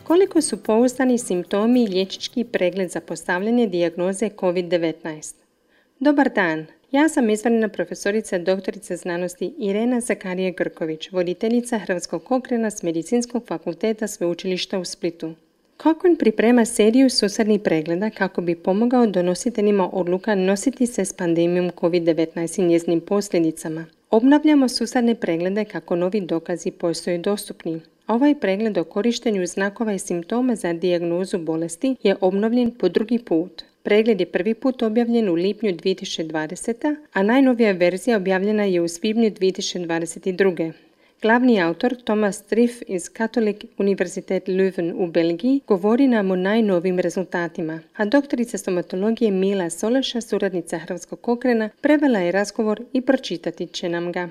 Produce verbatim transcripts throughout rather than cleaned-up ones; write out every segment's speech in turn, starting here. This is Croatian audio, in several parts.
Koliko su pouzdani simptomi i liječnički pregled za postavljanje dijagnoze kovid devetnaest? Dobar dan, ja sam izvanredna profesorica doktorica znanosti Irena Zakarije Grković, voditeljica Hrvatskog Cochrana s Medicinskog fakulteta Sveučilišta u Splitu. Cochrane priprema seriju susadnih pregleda kako bi pomogao donositeljima odluka nositi se s pandemijom kovid devetnaest i njezinim posljedicama. Obnavljamo susadne preglede kako novi dokazi postaju dostupni. Ovaj pregled o korištenju znakova i simptoma za dijagnozu bolesti je obnovljen po drugi put. Pregled je prvi put objavljen u lipnju dvije tisuće dvadesete. a najnovija verzija objavljena je u svibnju dvije tisuće dvadeset druge. Glavni autor Thomas Striff iz Katholic Universitet Leuven u Belgiji govori nam o najnovim rezultatima, a doktorica stomatologije Mila Soleša, suradnica Hrvatskog Cochrana, prevela je razgovor i pročitati će nam ga.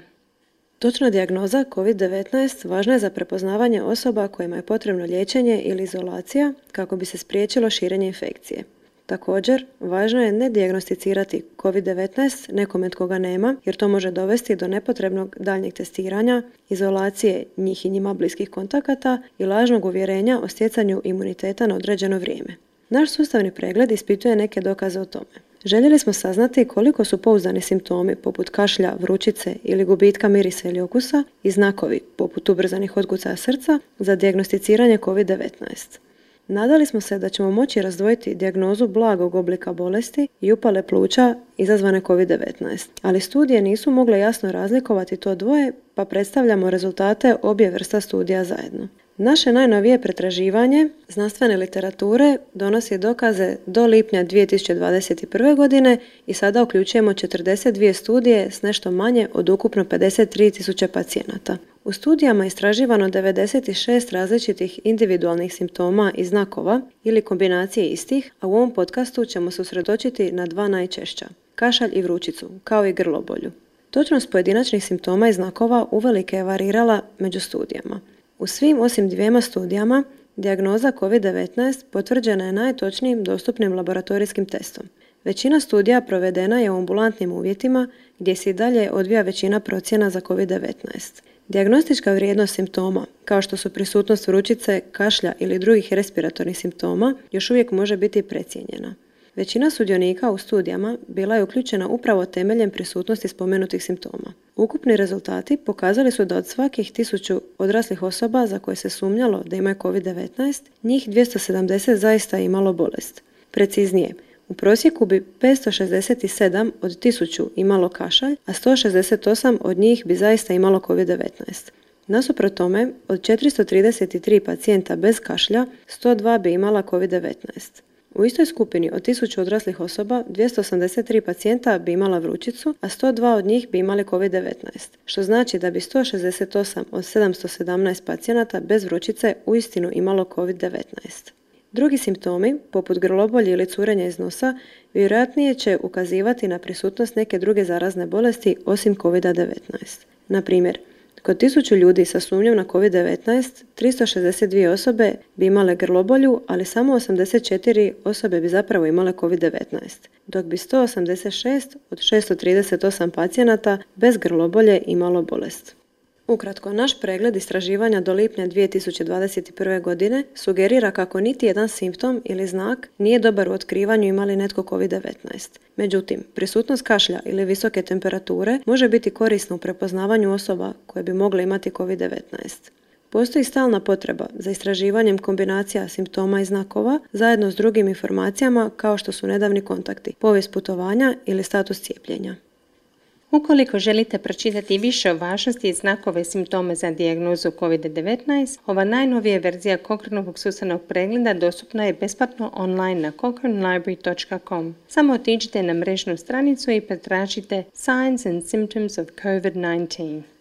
Točna dijagnoza kovid devetnaest važna je za prepoznavanje osoba kojima je potrebno liječenje ili izolacija kako bi se spriječilo širenje infekcije. Također, važno je ne dijagnosticirati kovid devetnaest nekome tko ga nema, jer to može dovesti do nepotrebnog daljnjeg testiranja, izolacije njih i njima bliskih kontakata i lažnog uvjerenja o stjecanju imuniteta na određeno vrijeme. Naš sustavni pregled ispituje neke dokaze o tome. Željeli smo saznati koliko su pouzdani simptomi poput kašlja, vrućice ili gubitka mirisa ili okusa i znakovi poput ubrzanih otkucaja srca za dijagnosticiranje kovid devetnaest. Nadali smo se da ćemo moći razdvojiti dijagnozu blagog oblika bolesti i upale pluća izazvane kovid devetnaest, ali studije nisu mogle jasno razlikovati to dvoje, pa predstavljamo rezultate obje vrsta studija zajedno. Naše najnovije pretraživanje znanstvene literature donosi dokaze do lipnja dvije tisuće dvadeset prve. godine i sada uključujemo četrdeset dvije studije s nešto manje od ukupno pedeset tri tisuće pacijenata. U studijama je istraživano devedeset šest različitih individualnih simptoma i znakova ili kombinacije istih, a u ovom podcastu ćemo se usredotočiti na dva najčešća, kašalj i vrućicu, kao i grlobolju. Točnost pojedinačnih simptoma i znakova uvelike je varirala među studijama. U svim osim dvijema studijama, dijagnoza kovid devetnaest potvrđena je najtočnijim dostupnim laboratorijskim testom. Većina studija provedena je u ambulantnim uvjetima gdje se i dalje odvija većina procjena za kovid devetnaest. Dijagnostička vrijednost simptoma, kao što su prisutnost vrućice, kašlja ili drugih respiratornih simptoma, još uvijek može biti precijenjena. Većina sudionika u studijama bila je uključena upravo temeljem prisutnosti spomenutih simptoma. Ukupni rezultati pokazali su da od svakih tisuću odraslih osoba za koje se sumnjalo da imaju kovid devetnaest, njih dvjesto sedamdeset zaista imalo bolest. Preciznije, u prosjeku bi petsto šezdeset sedam od tisuću imalo kašalj, a sto šezdeset osam od njih bi zaista imalo kovid devetnaest. Nasuprot tome, od četiristo trideset tri pacijenta bez kašlja, sto dva bi imala kovid devetnaest. U istoj skupini od tisuću odraslih osoba, dvjesto osamdeset tri pacijenta bi imala vrućicu, a sto dva od njih bi imali kovid devetnaest, što znači da bi sto šezdeset osam od sedamsto sedamnaest pacijenata bez vrućice uistinu imalo kovid devetnaest. Drugi simptomi, poput grlobolje ili curenja iz nosa, vjerojatnije će ukazivati na prisutnost neke druge zarazne bolesti osim kovid devetnaest. Na primjer, kod tisuću ljudi sa sumnjom na kovid devetnaest, tristo šezdeset dvije osobe bi imale grlobolju, ali samo osamdeset četiri osobe bi zapravo imale kovid devetnaest, dok bi sto osamdeset šest od šesto trideset osam pacijenata bez grlobolje imalo bolest. Ukratko, naš pregled istraživanja do lipnja dvije tisuće dvadeset prve. godine sugerira kako niti jedan simptom ili znak nije dobar u otkrivanju ima li netko kovid devetnaest. Međutim, prisutnost kašlja ili visoke temperature može biti korisna u prepoznavanju osoba koje bi mogle imati kovid devetnaest. Postoji stalna potreba za istraživanjem kombinacija simptoma i znakova zajedno s drugim informacijama kao što su nedavni kontakti, povijest putovanja ili status cijepljenja. Ukoliko želite pročitati više o važnosti i znakove i simptome za dijagnozu kovid devetnaest, ova najnovija verzija Cochranovog sustavnog pregleda dostupna je besplatno online na cochrane library dot com. Samo otiđite na mrežnu stranicu i pretražite Signs and Symptoms of kovid devetnaest.